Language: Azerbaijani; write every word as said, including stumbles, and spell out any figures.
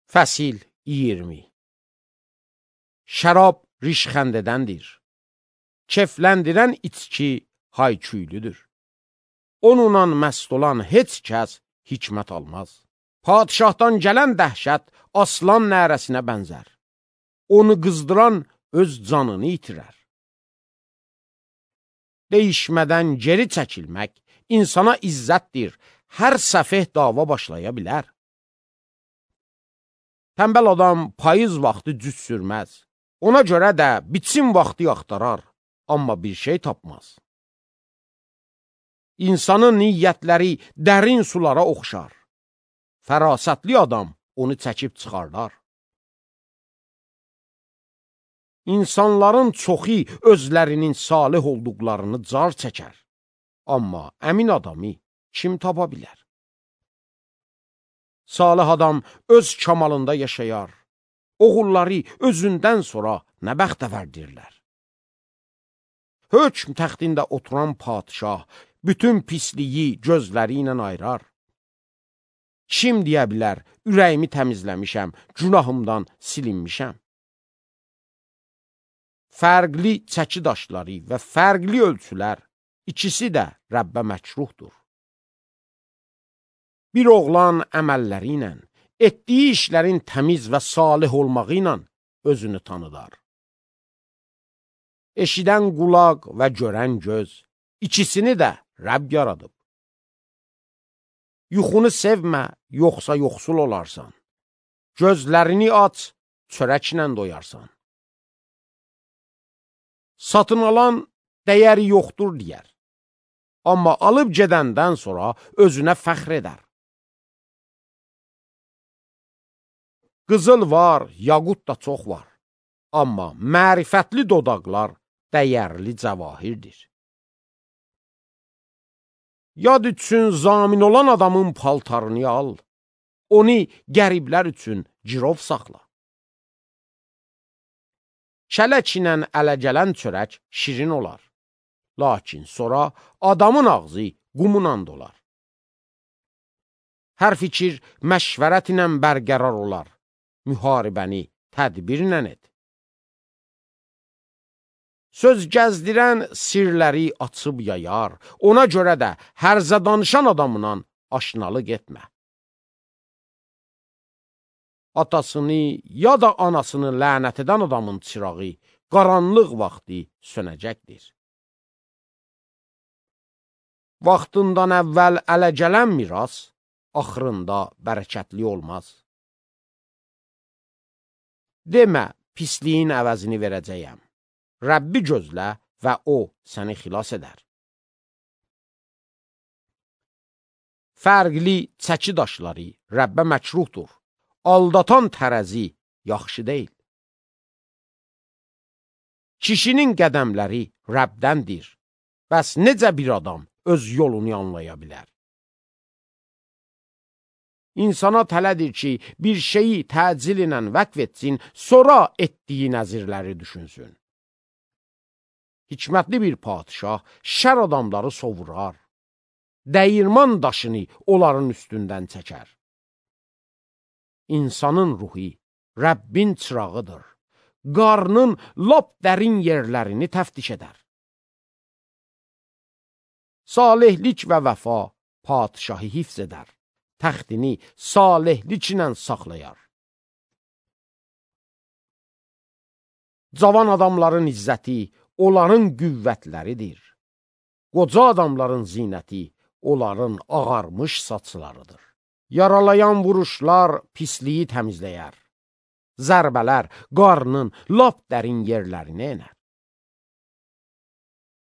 Fəsil iyirmi. Şərab rişxəndədəndir. Kefləndirən içki hayküylüdür. Onunla məst olan heç kəs hikmət almaz. Padişahdan gələn dəhşət aslan nərəsinə bənzər. Onu qızdıran öz canını itirər. Deyişmədən geri çəkilmək insana izzətdir. Hər səfeh dava başlaya bilər. Tənbəl adam payız vaxtı cüz sürməz. Ona görə də biçim vaxtı axtarar, amma bir şey tapmaz. İnsanın niyyətləri dərin sulara oxşar. Fərasətli adam onu çəkib çıxarlar. İnsanların çoxu özlərinin salih olduqlarını car çəkər. Amma əmin adamı kim tapa bilər? Salih adam öz kamalında yaşayar. Oğulları özündən sonra nə bəxtəvərdirlər. Hökm təxtində oturan padişah bütün pisliyi gözləri ilə ayırar. Kim deyə bilər, ürəyimi təmizləmişəm, günahımdan silinmişəm. Fərqli çəki daşları və fərqli ölçülər, ikisi də Rəbbə məkruhdur. Bir oğlan əməlləri ilə, etdiyi işlərin təmiz və salih olmağı ilə özünü tanıdar. Eşidən qulaq və görən göz, ikisini də Rəbb yaradıb. Yuxunu sevmə, yoxsa yoxsul olarsan. Gözlərini aç, çörəklə doyarsan. Satın alan dəyəri yoxdur deyər. Amma alıb gedəndən sonra özünə fəxr edər. Qızıl var, yaqut da çox var. Amma mərifətli dodaqlar dəyərli cəvahirdir. Yad üçün zamin olan adamın paltarını al, onu qəriblər üçün girov saxla. Kələk ilə ələ gələn çörək şirin olar, lakin sonra adamın ağzı qumla dolar. Hər fikir məşvərət ilə bərqərar olar, müharibəni tədbirlə et. Söz gəzdirən sirləri açıb yayar, ona görə də hərzə danışan adamla aşnalıq etmə. Atasını ya da anasını lənət edən adamın çırağı qaranlıq vaxtı sönəcəkdir. Vaxtından əvvəl ələ gələn miras axırında bərəkətli olmaz. Demə, pisliyin əvəzini verəcəyəm. Rəbbi gözlə və o səni xilas edər. Fərqli çəki daşları Rəbbə məkruhdur. Aldatan tərəzi yaxşı deyil. Kişinin qədəmləri Rəbdəndir. Bəs necə bir adam öz yolunu anlaya bilər? İnsana tələdir ki, bir şeyi təcil ilə vəqf etsin, sonra etdiyi nəzirləri düşünsün. Hikmətli bir padişah şər adamları sovurar. Dəyirman daşını onların üstündən çəkər. İnsanın ruhu Rəbbin çırağıdır. Qarnın lap dərin yerlərini təftiş edər. Salihlik və vəfa padişahı hifz edər. Təxtini salihlik ilə saxlayar. Cavan adamların izzəti onların qüvvətləridir. Qoca adamların zinəti onların ağarmış saçlarıdır. Yaralayan vuruşlar pisliyi təmizləyər. Zərbələr qarnın lap dərin yerlərini enər.